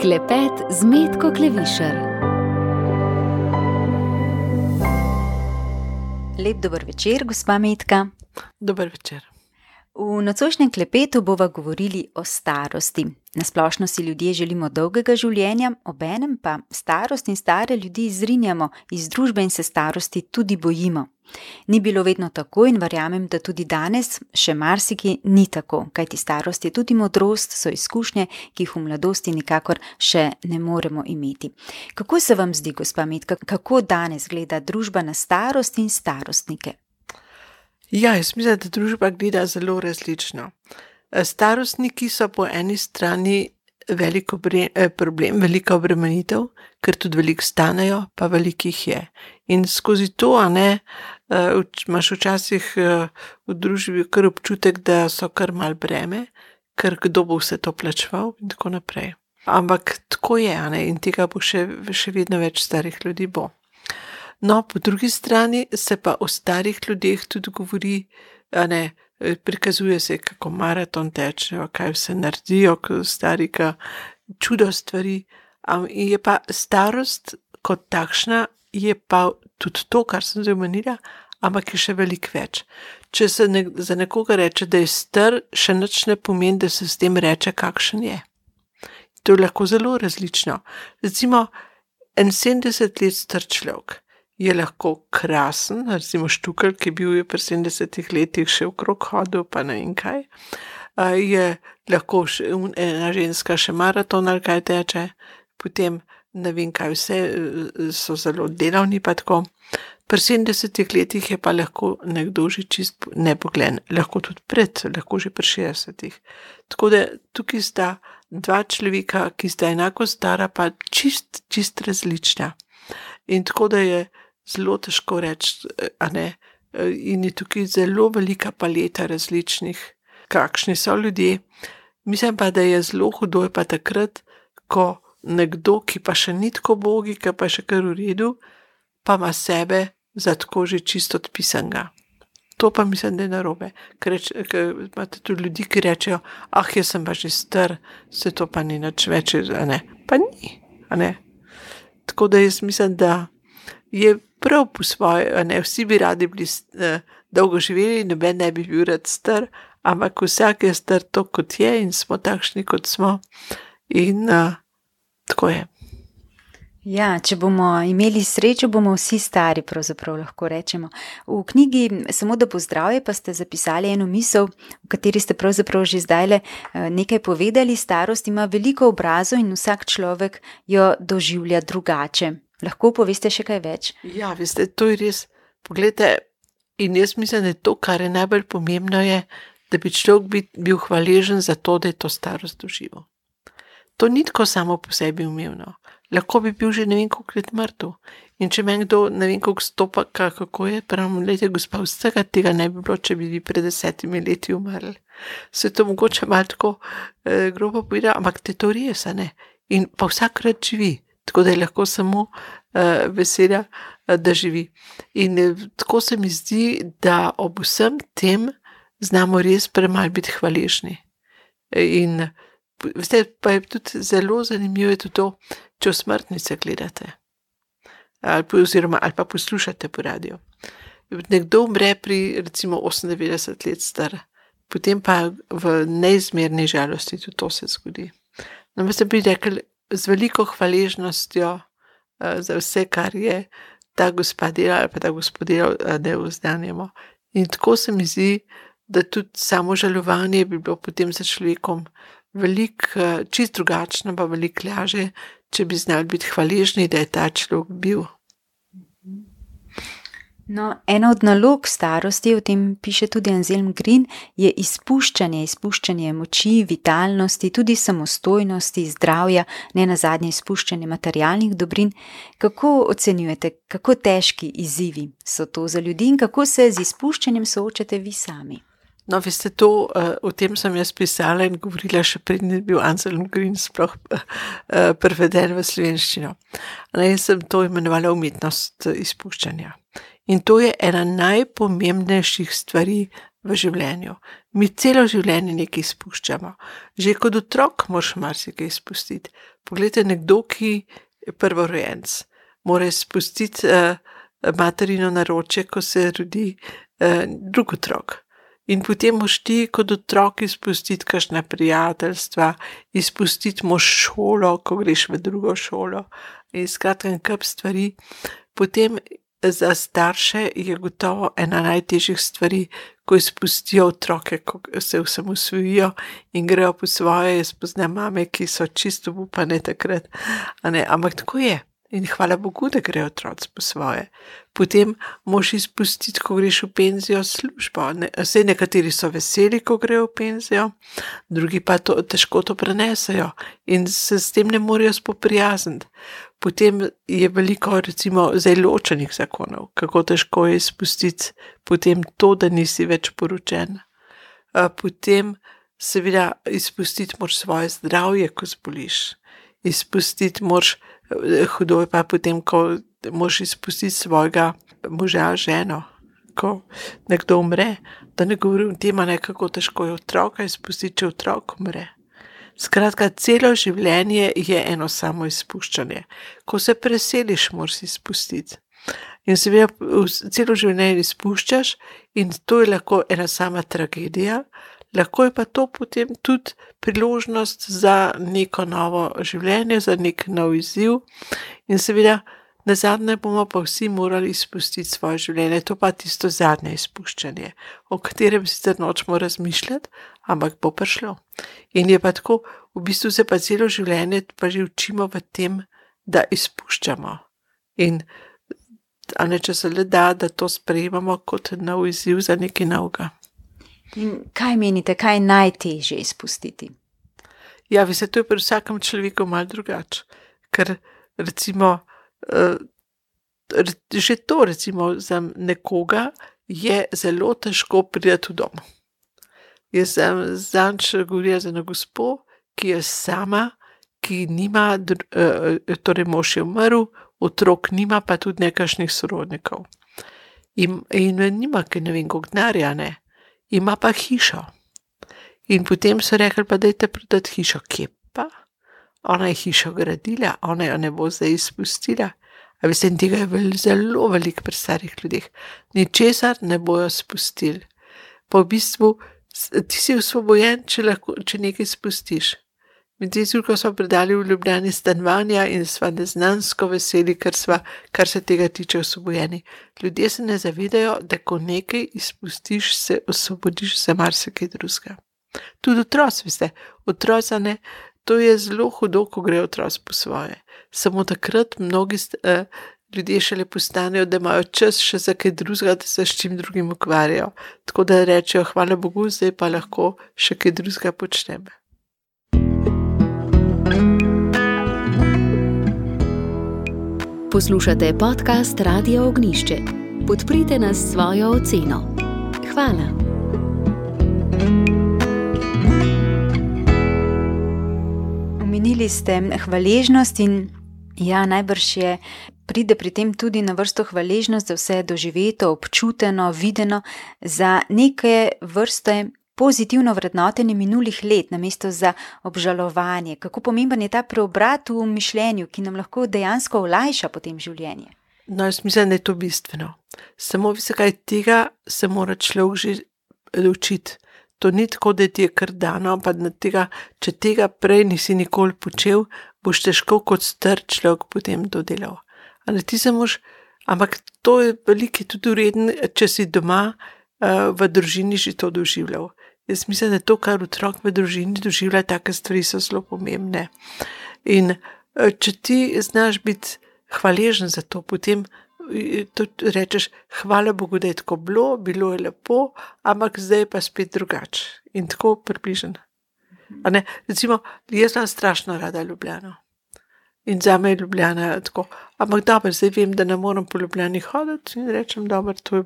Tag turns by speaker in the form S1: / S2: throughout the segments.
S1: Klepet z Metko Klevišar.
S2: Lep dober večer, gospa Metka.
S3: Dober večer.
S2: V nocojšnjem klepetu bova govorili o starosti. Na splošno si ljudje želimo dolgega življenja, obenem pa starost in stare ljudi izrinjamo iz družbe in se starosti tudi bojimo. Ni bilo vedno tako in verjamem, da tudi danes še marsiki ni tako, kajti starost je tudi modrost, so izkušnje, ki jih v mladosti nikakor še ne moremo imeti. Kako se vam zdi, gospa Metka, kako danes gleda družba na starost in starostnike?
S3: Ja, jaz mislim, da družba gleda zelo različno. Starostniki so po eni strani velik problem, velika obremenitev, ker tudi veliko stanejo, pa veliko jih je. In skozi to, imaš včasih v družbi kar občutek, da so kar mal breme, ker kdo bo vse to plačeval in tako naprej. Ampak tako je, in tega bo še vedno več starih ljudi bo. No, po drugi strani se pa o starih ljudeh tudi govori, prikazuje se, kako maraton tečejo, kaj vse naredijo, stari, čudo stvari. Je pa starost kot takšna, je pa tudi to, kar sem zdaj omenila, ampak je še veliko več. Če se za nekoga reče, da je star, še nič ne pomeni, da se s tem reče, kakšen je. To je lahko zelo različno. Recimo, 70 let star človek je lahko krasen, recimo Štukelj, ki bil je pri 70 letih še okrog hodil, pa ne vem kaj. Je lahko ena ženska še maraton ali kaj teče, potem ne vem kaj vse, so zelo delavni pa tako. Pri 70 letih je pa lahko nekdo že čist nepoglen, lahko tudi lahko že pri 60. Tako da tukaj sta dva človeka, ki sta enako stara, pa čist različna. In tako da je zelo težko reči, in je tukaj zelo velika paleta različnih, kakšni so ljudje. Mislim pa, da je zelo hudo je pa takrat, ko nekdo, ki pa še ni tako bogi, ki pa še kar v redu, pa ima sebe za tako že čisto odpisanega. To pa mislim, da je narobe. Ker imate tudi ljudi, ki rečejo, jaz sem pa že star, se to pa ni nič več, pa ni, Tako da jaz mislim, da je prav po svoje, vsi bi radi bili dolgo živeli, noben ne bi bil rad star, ampak vsak je star to, kot je in smo takšni, kot smo. In tako je.
S2: Ja, če bomo imeli srečo, bomo vsi stari, pravzaprav lahko rečemo. V knjigi Samo da pozdravje pa ste zapisali eno misel, v kateri ste pravzaprav že zdajle nekaj povedali. Starost ima veliko obrazov in vsak človek jo doživlja drugače. Lahko poveste še kaj več?
S3: Ja, veste, to je res. Poglejte, in jaz mislim, da je to, kar je najbolj pomembno, je, da bi človek bil hvaležen za to, da je to starost doživel. To ni tako samo po sebi umevno. Lahko bi bil že ne vem koliko let mrtev. In če meni kdo ne vem koliko stopa, kako je, pravim, lejte, gospa, vsega tega ne bi bilo, če bi vi pred 10 leti umrli. Se to mogoče malo tako grobo povedal, ampak te to res, In pa vsakrat živi. Tako da je lahko samo vesela, da živi. In tako se mi zdi, da ob vsem tem znamo res premalo biti hvaležni. In veste, pa je tudi zelo zanimivo je tudi to, če v smrtnice gledate. Ali pa poslušate po radiju. Nekdo umre pri recimo 98 let star, potem pa v neizmerni žalosti tudi to se zgodi. No, veste, bi rekli, z veliko hvaležnostjo za vse, kar je ta gospa delala ali pa ta gospod delal, da jo vzdanjamo. In tako se mi zdi, da tudi samo žalovanje bi bilo potem za človekom veliko čist drugačno, pa veliko lažje, če bi znali biti hvaležni, da je ta človek bil.
S2: No, ena od nalog starosti, o tem piše tudi Anselm Green, je izpuščanje moči, vitalnosti, tudi samostojnosti, zdravja, ne nazadnje izpuščanje materialnih dobrin. Kako ocenjujete, kako težki izzivi so to za ljudi in kako se z izpuščanjem soočate vi sami?
S3: No, veste, to, o tem sem jaz pisala in govorila še predtem je bil Anselm Green sploh preveden v slovenščino. Jaz sem to imenovala umetnost izpuščanja. In to je ena najpomembnejših stvari v življenju. Mi celo življenje nekaj izpuščamo. Že kot otrok moraš marsikaj izpustiti. Poglejte, nekdo, ki je prvorojenec, mora izpustiti materino naročje, ko se rodi drug otrok. In potem moš ti kot otrok izpustiti kakšna prijateljstva, izpustiti moš šolo, ko greš v drugo šolo. In skratka, en kup stvari. Potem za starše je gotovo ena najtežjih stvari, ko izpustijo otroke, ko se osamosvojijo in grejo po svoje. Jaz poznam mame, ki so čisto obupane takrat. Ampak tako je. In hvala Bogu, da grejo otroci po svoje. Potem moš izpustiti, ko greš v penzijo, službo. Vse nekateri so veseli, ko grejo v penzijo, drugi pa težko to prenesejo in se s tem ne morejo spoprijazniti. Potem je veliko, recimo, zdaj ločenih zakonov, kako težko je izpustiti potem to, da nisi več poročen. Potem seveda izpustiti moraš svoje zdravje, ko zboliš. Izpustiti moraš, hudo je pa potem, ko moraš izpustiti svojega moža, ženo, ko nekdo umre. Da ne govorim o tem, kako težko je otroka izpustiti, če otrok umre. Skratka, celo življenje je eno samo izpuščanje. Ko se preseliš, moraš izpustiti. In seveda celo življenje izpuščaš in to je lahko ena sama tragedija, lahko je pa to potem tudi priložnost za neko novo življenje, za nek nov izziv in seveda nazadnje bomo pa vsi morali izpustiti svoje življenje, to pa tisto zadnje izpuščanje, o katerem sicer nočemo razmišljati, ampak bo prišlo. In je pa tako, v bistvu se pa celo življenje pa že učimo v tem, da izpuščamo. In če se le da to sprejemamo kot nov izziv za nekaj novega.
S2: In kaj menite, kaj je najtežje izpustiti?
S3: Ja, veste, to je pri vsakem človeku malo drugače. Ker recimo, že to recimo za nekoga je zelo težko priti v dom. Jaz sem zadnjič govorila z eno gospo, ki je sama, ki nima, torej mož je umrl, otrok nima, pa tudi nekakšnih sorodnikov. In nima, ker ne vem, koliko denarja, ne. Ima pa hišo. In potem so rekli, pa dajte prodati hišo. Kje pa? Ona je hišo gradila, ona jo ne bo zdaj izpustila. A veste, in tega je zelo veliko pri starih ljudeh. Ničesar ne bojo spustili. Pa v bistvu ti si osvobojen, če nekaj spustiš. Mi ko smo predali v Ljubljani stanovanja in sva neznansko veseli, kar se tega tiče osvobojeni. Ljudje se ne zavedajo, da ko nekaj izpustiš, se osvobodiš za marsikaj drugega. Tudi otroci, veste, otroci, ne, to je zelo hudo, ko grejo otroci po svoje. Samo takrat mnogi ljudje šele postanejo, da imajo čas še za kaj drugega, da se s čim drugim ukvarjajo. Tako da rečejo, hvala Bogu, zdaj pa lahko še kaj drugega počnem.
S1: Poslušate podcast Radia Ognjišče. Podprite nas s svojo oceno. Hvala.
S2: Omenili ste hvaležnost in ja, najbrž pride pri tem tudi na vrsto hvaležnost za vse doživeto, občuteno, videno, za neke vrste pozitivno vrednotenje minulih let, namesto za obžalovanje. Kako pomemben je ta preobrat v mišljenju, ki nam lahko dejansko olajša potem življenje?
S3: No, jaz mislim, da je to bistveno. Samo kaj tega se mora človek že učiti. To ni tako, da ti je kar dano, ampak če tega prej nisi nikoli počel, boš težko kot star človek potem to delal. Ampak to je veliko tudi vreden, če si doma v družini že to doživljal. Jaz mislim, da to, kar otrok v družini doživlja, take stvari so zelo pomembne. In če ti znaš biti hvaležen za to, potem rečeš, hvala Bogu, da je tako bilo je lepo, ampak zdaj je pa spet drugače. In tako približen. Recimo, jaz sem strašno rada Ljubljano. In zame je Ljubljana tako. Ampak dobro, zdaj vem, da ne moram po Ljubljani hoditi in rečem, dobro, to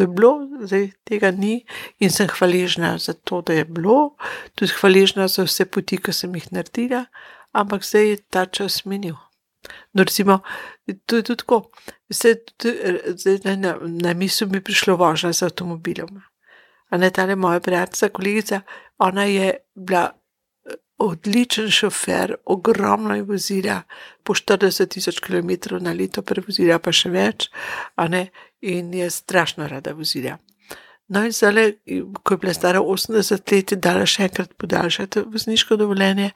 S3: je bilo, zdaj tega ni in sem hvaležna za to, da je bilo, tudi hvaležna za vse poti, ki sem jih naredila, ampak zdaj je ta čas minil. No, recimo, to je tudi tako. Zdaj na misel mi prišlo vožnja z avtomobilom. A ne tale moja prijateljica, kolegica, ona je bila odličen šofer, ogromno je vozila, po 40,000 kilometrov na leto prevozila, pa še več, a ne, in je strašno rada vozila. No in zdaj, ko je bila stara 80 let, je dala še enkrat podaljšati vozniško dovoljenje,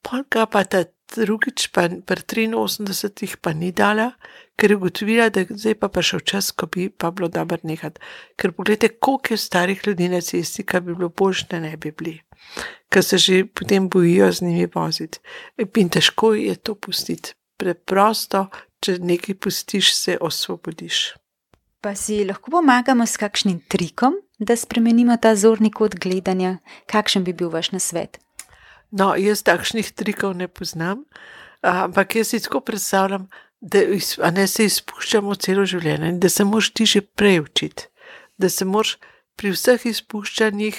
S3: polka pa ta drugič, pa pri 83 pa ni dala, ker je ugotovila, da zdaj pa prišel čas, ko bi pa bilo dobro nehati. Ker pogledajte, koliko je starih ljudi na cesti, kar bi bilo boljše, da ne bi bili, ker se že potem bojijo z njimi voziti. In težko je to pustiti. Preprosto, če nekaj pustiš, se osvobodiš.
S2: Pa si lahko pomagamo s kakšnim trikom, da spremenimo ta zorni kot gledanja? Kakšen bi bil vaš nasvet?
S3: No, jaz takšnih trikov ne poznam, ampak jaz si tako predstavljam, da se izpuščamo celo življenje in da se moraš ti že prej učiti. Da se moraš pri vseh izpuščanjih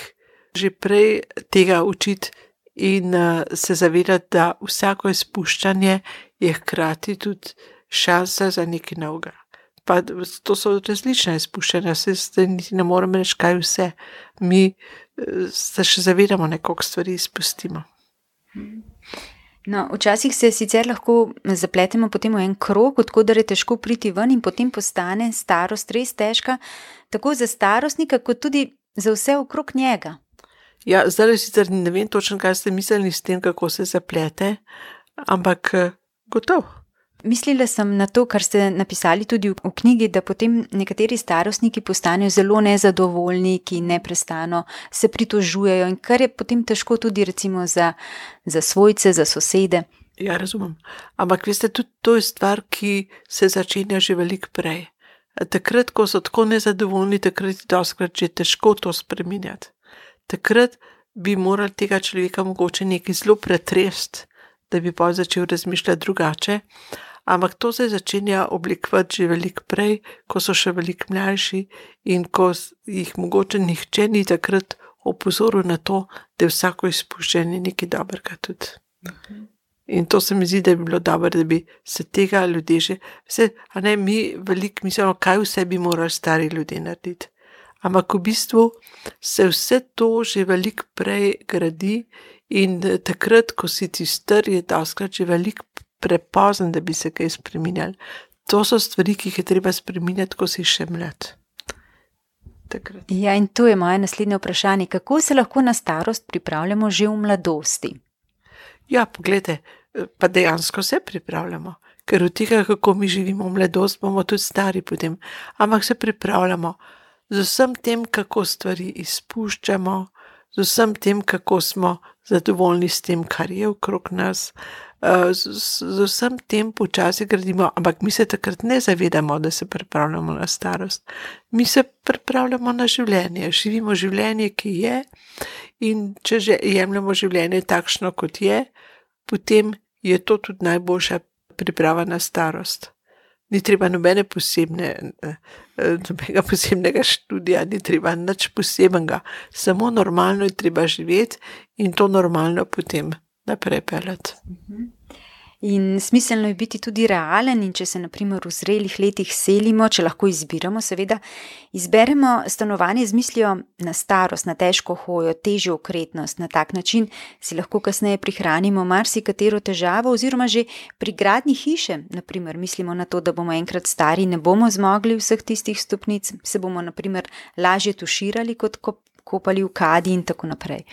S3: že prej tega učiti in se zavedati, da vsako izpuščanje je hkrati tudi šansa za nekaj novega. Pa to so različna izpuščanja, se niti ne morem reči, kaj vse. Mi se še zavedamo, nekoliko stvari izpustimo.
S2: No, včasih se sicer lahko zapletemo potem v en krog, odkudar je težko priti ven in potem postane starost res težka, tako za starostnika, kot tudi za vse okrog njega.
S3: Ja, zdaj sicer ne vem točno, kaj ste mislili s tem, kako se zaplete, ampak gotovo.
S2: Mislila sem na to, kar ste napisali tudi v knjigi, da potem nekateri starostniki postanejo zelo nezadovoljni, ki neprestano se pritožujejo in kar je potem težko tudi recimo za svojce, za sosede.
S3: Ja, razumem. Ampak veste, tudi to je stvar, ki se začenja že veliko prej. Takrat, ko so tako nezadovoljni, takrat je dostikrat že težko to spreminjati. Takrat bi morali tega človeka mogoče nekaj zelo pretresti, da bi pa začel razmišljati drugače. Ampak to se začenja oblikovati že veliko prej, ko so še veliko mlajši in ko jih mogoče nihče ni takrat opozoril na to, da je vsako izpuščanje nekaj dobrega tudi. In to se mi zdi, da bi bilo dobro, da bi se tega ljudje že... mi veliko mislimo, kaj vse bi morali stari ljudje narediti. Ampak v bistvu se vse to že veliko prej gradi in takrat, ko si ti star, je dostikrat že veliko prepozen, da bi se kaj spreminjali. To so stvari, ki jih je treba spreminjati, ko si še mlad. Takrat.
S2: Ja, in to je moje naslednje vprašanje. Kako se lahko na starost pripravljamo že v mladosti?
S3: Ja, poglejte, pa dejansko se pripravljamo, ker od tega, kako mi živimo v mladost, bomo tudi stari potem. Ampak se pripravljamo z vsem tem, kako stvari izpuščamo, z vsem tem, kako smo zadovoljni s tem, kar je okrog nas, z vsem tem počasi gradimo, ampak mi se takrat ne zavedamo, da se pripravljamo na starost. Mi se pripravljamo na življenje, živimo življenje, ki je, in če že jemljemo življenje takšno, kot je, potem je to tudi najboljša priprava na starost. Ni treba nobenega posebnega študija, ni treba nič posebnega, samo normalno je treba živeti in to normalno potem naprej peljati.
S2: In smiselno je biti tudi realen in če se na primer v zrelih letih selimo, če lahko izbiramo, seveda, izberemo stanovanje z mislijo na starost, na težko hojo, težjo okretnost. Na tak način si lahko kasneje prihranimo marsikatero težavo oziroma že pri gradnji hiše, na primer, mislimo na to, da bomo enkrat stari, ne bomo zmogli vseh tistih stopnic, se bomo na primer lažje tuširali kot kopali v kadi in tako naprej.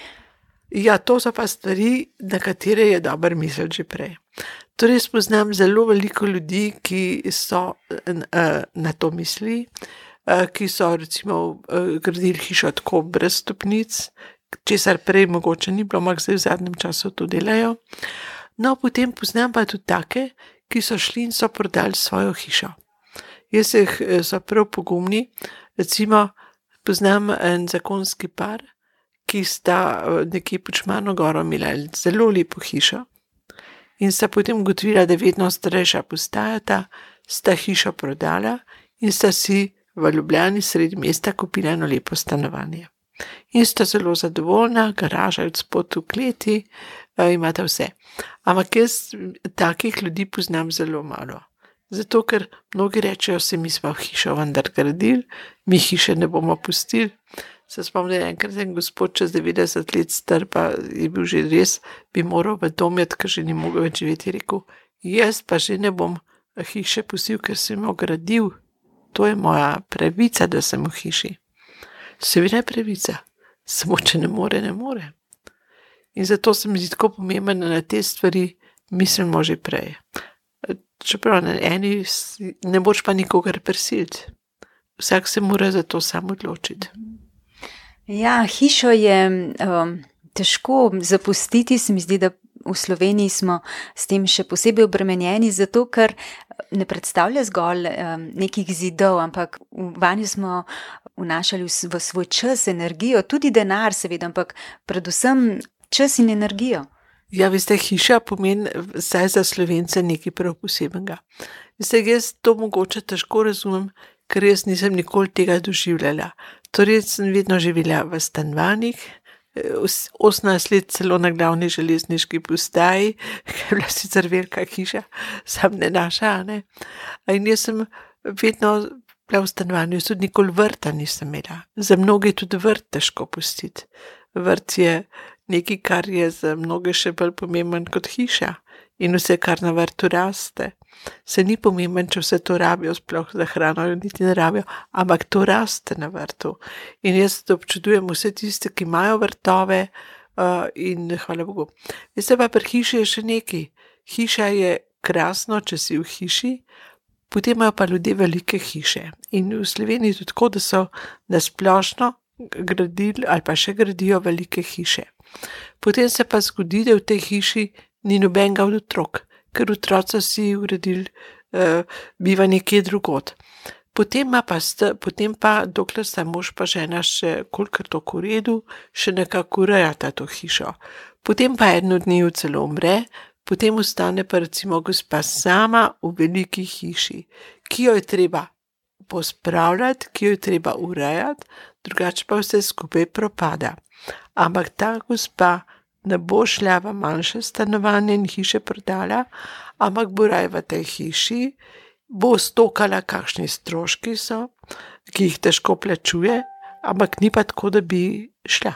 S3: Ja, to so pa stvari, na katere je dobro misliti že prej. Torej, spoznam zelo veliko ljudi, ki so na to mislili, ki so recimo gradili hišo tako brez stopnic, česar prej mogoče ni bilo, ampak zdaj v zadnjem času to delajo. No, potem poznam pa tudi take, ki so šli in so prodali svojo hišo. Jaz so prav pogumni, recimo poznam en zakonski par, ki sta nekje pod Šmarno goro imela zelo lepo hišo in sta potem ugotovila, da vedno starejša postajata, sta hišo prodala in sta si v Ljubljani sredi mesta kupila eno lepo stanovanje. In sta zelo zadovoljna, garaža od spod v kleti, imata vse. Ampak jaz takih ljudi poznam zelo malo. Zato, ker mnogi rečejo, se mi smo hišo vendar gradili, mi hiše ne bomo pustili. Se spomnim, enkrat en gospod čez 90 let star, pa je bil že res, bi moral v dom iti, ker že ni mogel več živeti, je rekel, jaz pa že ne bom hiše pustil, ker sem jo gradil. To je moja pravica, da sem v hiši. Seveda je pravica, samo če ne more, ne more. In zato se mi zdi tako pomembno, da na te stvari mislimo že prej. Čeprav na eni ne boš pa nikogar prisiliti. Vsak se mora za to sam odločiti.
S2: Ja, hišo je težko zapustiti, se mi zdi, da v Sloveniji smo s tem še posebej obremenjeni, zato ker ne predstavlja zgolj nekih zidov, ampak vanjo smo vnašali v svoj čas, energijo, tudi denar seveda, ampak predvsem čas in energijo.
S3: Ja, veste, hiša pomeni vsaj za Slovence nekaj prav posebnega. Veste, jaz to mogoče težko razumem, ker jaz nisem nikoli tega doživljala. Torej sem vedno živela v stanovanjih, 18 let celo na glavni železniški postaji, ki je bila sicer velika hiša, sam ne naša, ne. In jaz sem vedno bila v stanovanju, jaz tudi nikoli vrta nisem imela. Za mnoge je tudi vrt težko pustiti. Vrt je nekaj, kar je za mnoge še bolj pomemben kot hiša. In vse, kar na vrtu raste. Se ni pomemben, če vse to rabijo, sploh za hrano jo niti ne rabijo, ampak to raste na vrtu. In jaz občudujem vse tiste, ki imajo vrtove in hvala Bogu. Veste pa, pri hiši je še nekaj. Hiša je krasno, če si v hiši, potem imajo pa ljudje velike hiše. In v Sloveniji tudi tako, da so nasplošno gradili ali pa še gradijo velike hiše. Potem se pa zgodi, da v tej hiši ni nobenega od otrok, ker otroci si uredili bivanje kje drugod. Potem pa, dokler sta mož pa žena še kolikor toliko v redu, še nekako urejata to hišo. Potem pa eno dnevu celo umre, potem ostane pa recimo gospa sama v veliki hiši, ki jo je treba pospravljati, ki jo je treba urejati, drugače pa vse skupaj propada. Ampak ta gospa ne bo šla v manjše stanovanje in hiše prodala, ampak bo raje v tej hiši, bo stokala, kakšni stroški so, ki jih težko plačuje, ampak ni pa tako, da bi šla.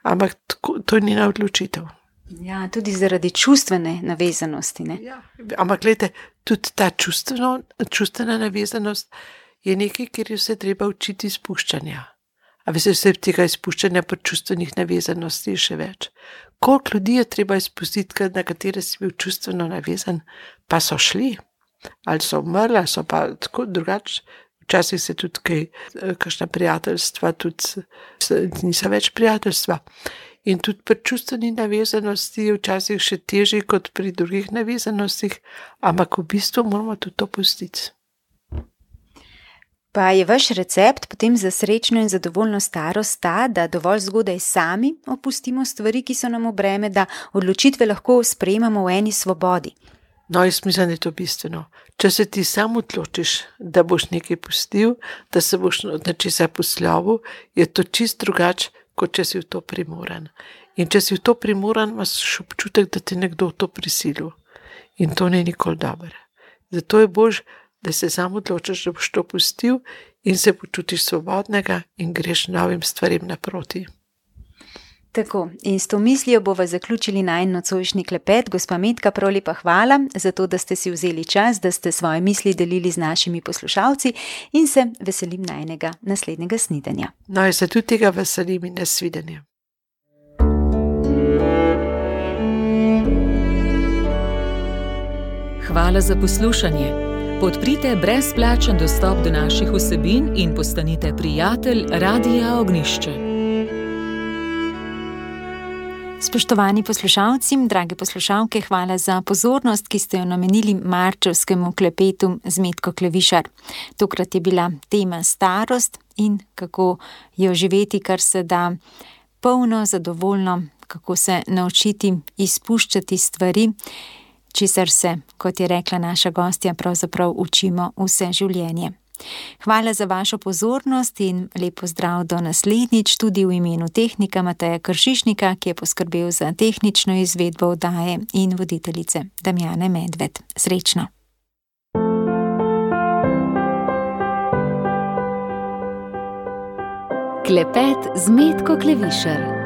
S3: Ampak to je njena odločitev.
S2: Ja, tudi zaradi čustvene navezanosti, ne?
S3: Ja, ampak gledajte, tudi ta čustvena navezanost je nekaj, kjer je vse treba učiti izpuščanja. A veste, vse tega izpuščanja pri čustvenih navezanosti je še več. Koliko ljudi je treba izpustiti, na katere si bil čustveno navezan, pa so šli, ali so umrli, ali so pa tako drugače. Včasih se tudi kakšna prijateljstva, tudi niso več prijateljstva. In tudi pri čustveni navezanosti je včasih še težje kot pri drugih navezanostih, ampak v bistvu moramo tudi to pustiti.
S2: Pa je vaš recept potem za srečno in zadovoljno starost ta, da dovolj zgodaj sami opustimo stvari, ki so nam v breme, da odločitve lahko sprejemamo v eni svobodi?
S3: No, jaz mislim, da je to bistveno. Če se ti sam odločiš, da boš nekaj pustil, da se boš na česa poslovil, je to čist drugače, kot če si v to primoran. In če si v to primoran, imaš občutek, da te nekdo v to prisilil. In to ni nikoli dobro. Zato je bož, da se sam odločiš, da boš to pustil in se počutiš svobodnega in greš novim stvarem naproti.
S2: Tako, in s to mislijo bova zaključili najin nocojšnji klepet. Gospa Metka, prav lepa hvala za to, da ste si vzeli čas, da ste svoje misli delili z našimi poslušalci in se veselim najinega naslednjega snidenja.
S3: No, jaz se tudi tega veselim in nasvidenja.
S4: Hvala za poslušanje. Podprite brezplačen dostop do naših vsebin in postanite prijatelj Radia Ognjišče.
S2: Spoštovani poslušalci, drage poslušalke, hvala za pozornost, ki ste jo namenili marčevskemu klepetu z Metko Klevišar. Tokrat je bila tema starost in kako jo živeti, kar se da polno, zadovoljno, kako se naučiti izpuščati stvari, česar se, kot je rekla naša gostja, pravzaprav učimo vse življenje. Hvala za vašo pozornost in lep pozdrav do naslednjič, tudi v imenu tehnika Mateja Kršišnika, ki je poskrbel za tehnično izvedbo oddaje, in voditeljice Damjane Medved. Srečno!
S1: Klepet z Metko Klevišar.